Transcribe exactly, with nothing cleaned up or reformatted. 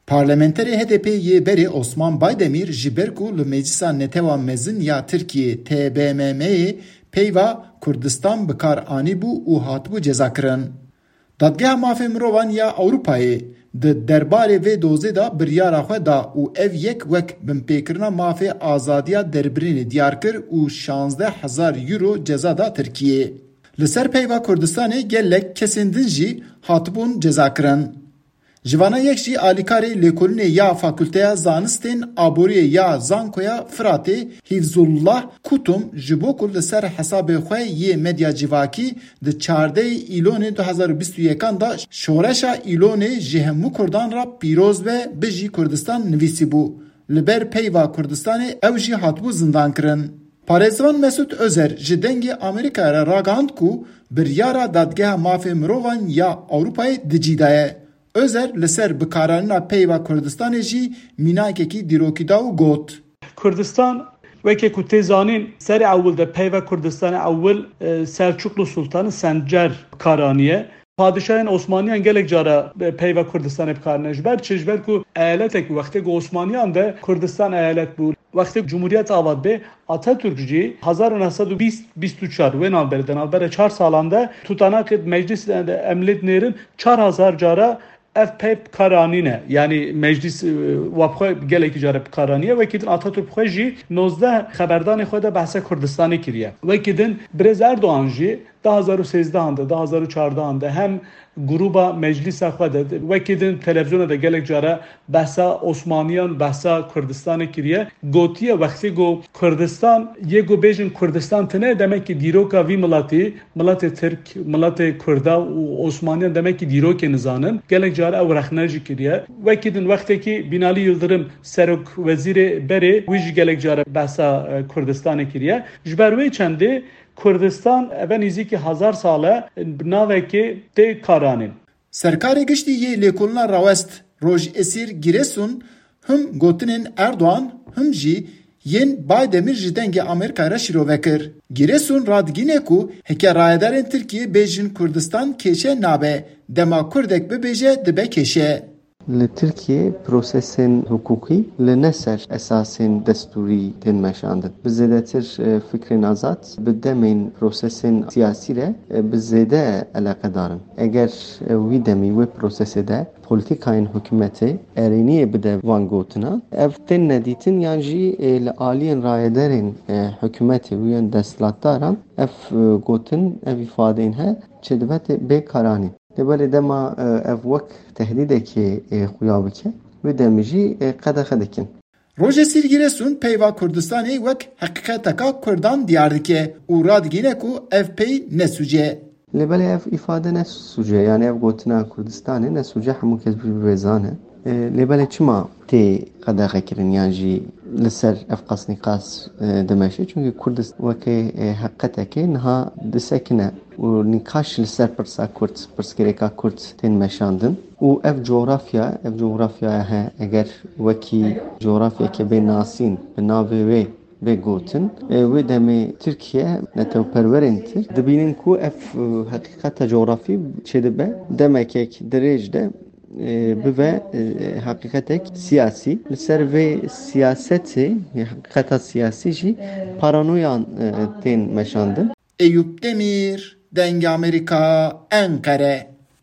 Parlamenterê H D P yê berê Osman Baydemîr ji ber ku li Meclisa Netewa Mezin ya Tirkiyê, T B M M'yê, peyva Kurdistan bi kar anîbû û hatibû cezakirin. Dadgeha Mafê Mirovan ya Ewropayê di derbarê vê dozê de biryara xwe da û ev yek wek binpêkirina mafê azadiya derbirînê diyar kir û şazdeh hezar euro ceza da Tirkiyê. Li ser peyva Kurdistanê gelek kesên din jî hatibûn cezakirin. Ji vana yek jî alîkarê lêkolînê ya Fakulteya Zanistên Aboriyê ya Zankoya Firatê, Hîfzullah Kutum, ji bo ku li ser hesabê xwe yê medya civakî di çardeh Îlonê du hezar û bîst û yekan de şoreşa Îlonê ji hemû Kurdan re pîroz be, bijî Kurdistan nivîsîbû. Li ber peyva Kurdistanê ew jî hatibû zindankirin. Parêzvan Mesûd Ozer ji Dengê Amerîkayê re ragihand ku biryara Dadgeha Mafê Mirovan ya Ewropayê di cî de ye. Ozer li ser bikaranîna peyva Kurdistanê jî mînakekî dîrokî da û got: Kurdistan, weke ku tê zanîn, serê ewil de peyva Kurdistanê ewil, e, Selçuklu Sultanî Sencer bi kar aniye. Padişahên Osmaniyan gelek cara, e, peyva Kurdistanê bi kar ne. Ji ber çi? Ji ber ku eyaletek wextê ku Osmaniyan de Kurdistan eyalet bû. Wextê Cumhuriyet ava dibe, Atatürk jî hezar û neh sed û bîst bîst û çar, wê navberê de, navbera çar salan de tutanakê meclis de emlê dinêrin, çar hezar cara ev pey bi kar anîne. Yanî meclis, e, wa bi xwe gelekî care bi kar aniye. Wekî din Atatürk bi xwe jî nozdeh xeberdanê xwe de behsa Kurdistanê kiriye. Wekî din Birêz Erdogan jî du hezar û sêzdeh de, du hezar û çardeh de hem grûba meclisa xwe de, wekî din televizyona de gelek cara behsa Osmaniyan, behsa Kurdistanê kiriye. Gotiye wextê ku Kurdistan, yê ku bêjin Kurdistan tine, demekî dîroka vî miletî, miletê Tirk, miletê Kurda û Osmaniyan demekî dîrokê nizanin. Gelek cara ew rexne jî kiriye. Wekî din wextekî Binali Yildirim serok wezîrê berê, wî jî gelek cara behsa, e, Kurdistanê kiriye. Ji ber wê çendê Kurdistan eve nîzîkî hezar sale bi navekê tê karanîn. Serkarê Giştî yê lêkolina rawest Rojî Esîr Giresun him gotinên Erdogan him jî yên Baydemîr ji Dengê Amerîkayê re şîrove kir. Giresun radigîne ku heke rayedarên Tirkiyê bêjin Kurdistan kêşe nabe, dema Kurdek bibêje dibe kêşe. Li Tirkiyê prosesên hiqûqî li ne ser esasên destûrî tên meşandin. Bi zêdetir, e, fikrên azad bi demên prosesên siyasî re, e, bi zêde eleqedar in. Eger, e, wî demî wê prosesê de polîtîkayên hikûmetê erêniyê bide van gotinan, ev tên nedîtin yan jî, e, li aliyên rayedarên, e, hikûmetê û yên desthilatdaran ev, e, gotin, ev îfadeyên he çêdibe tê bê karanîn. Lê belê dema, e, ev wek tehdîdekê, e, xuya bike, wê demê jî, e, qedexe dikin. Rojê Sîrgîresun peyva Kurdistanê wek heqîqeteka Kurdan diyar dike û radigîne ku ev pey ne sûc e. Lê belê ev îfade ne sûc e, yanî ev gotina Kurdistanê ne sûc e, hemû kes bi vê zane. E, lê belê çima tê qedexekirin yan jî li ser ev qas nîqas, e, dimeşe? Çunkî Kurdistan weke, e, heqîqetekê niha disekine û nîqaş li ser pirsa Kurd, pirsgirêka Kurd tên meşandin. Û ev cografya, ev cografyaya he, eger wekî cografyeke bê nasîn bi navê wê bê gotin, e, wê demê Tirkiye, netewperwerên Tirk dibînin ku ev, e, heqîqeta cografî çêdibe demekek dirêj de, e, bibe, e, heqîqetek siyasî. Li ser vê siyasetê, heqîqeta siyasî jî paranoyan, e, tên meşandin. Eyûp Demîr, Dengê Amerîka, Enqere.